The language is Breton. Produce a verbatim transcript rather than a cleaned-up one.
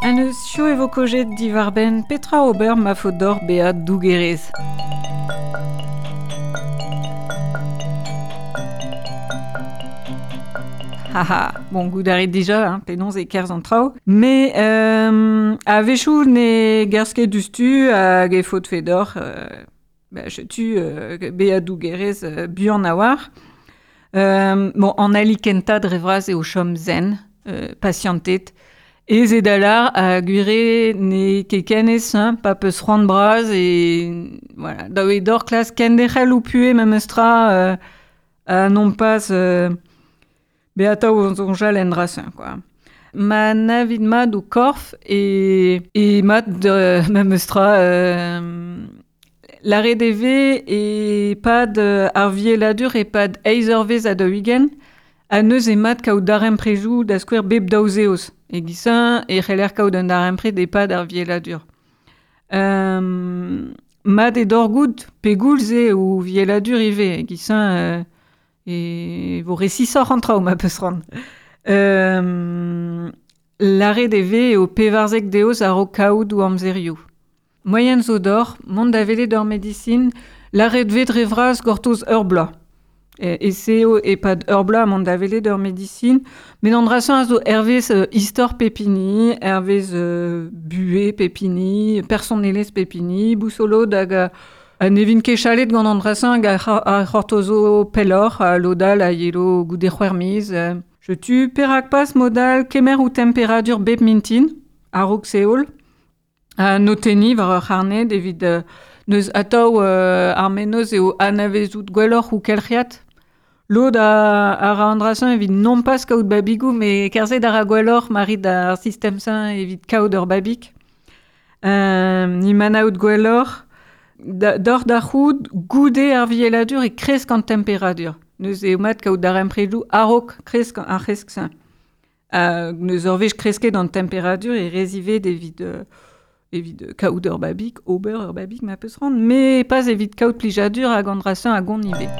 An eus chio e vo kojet divarben Petra Ober ma fodor bea dougerez. Haha, bon, goût d'arrêt déjà, hein, penaos e kerzh an traoù. Mais euh, a-wechoù ne gerzh ket dustu hag e faot fedor, euh, ba, setu euh, bea dougerez euh, buan a war. Euh, bon, an ali kenta dre vras eo chom zen, euh, patientet. Ez e dalar a gwire ne kekenez, hein, pa peus c'hoant bras e... Voilà, daou e dor klas kenderc'hel ou pue memestra euh, a non pas... Euh, Beata o zonjal en drasin, quoi. Ma navid mat o korf e, e mat de memestra euh, l'arrêt D V e pad euh, ar vieladur e pad eizh eurvezh a daou-ugent a neuz e mat kaout daremprejoù da skouer bep daou zeoz. E gisañ e c'heller kaout un darempred e pad ar vieladur. Euh, mat e dorgout pegoulz eo ou vieladur ivez. E gisañ euh, e vo resisoc'h an traoù ma peus ran. Euh, l'arrêt D V eo pevarzek deoz a-raok kaout ou amzerioù. Moyen zo d'or, mont da welet ur medisin, l'arrêt D V dre vras gortoz ur bloaz. E, e seo e pad ur bloaz mont da welet ur medisin, met an drasañ a zo hervez euh, istor pepini, hervez euh, buhe pepini, personelezh pepini, bousolo hag a, a ne vin ket chalet gant an drasañ hag a c'hortozo pelloc'h, a lodal a yelo goude c'hwec'h miz. Euh, je tu perak pas modal kemer ou temperadur bep mintin, a-raok seol, a notenni war ur c'harned evit euh, neus atav euh, ar menoz eo anavezout gwelloc'h ou kelc'hiat. Lod a, a ra an drasañ evit non pas kaout babigou, mais kerzhet a ra gwelloc'h marit ar sistem-sañ evit kaout ur babig. Euh, ni manaout gwelloc'h, da, d'or da c'houd goude ar vieladur e kresk an temperadur. Neus eo mat kaout darempredoù a-raok kresk ar c'hresk-sañ. Uh, neus ur wech kresket an temperadur e rezivet evit, euh, evit kaout ur babig, ober ur babig ma peus ran, mais pas evit kaout plijadur hag an drasañ hag on ivez.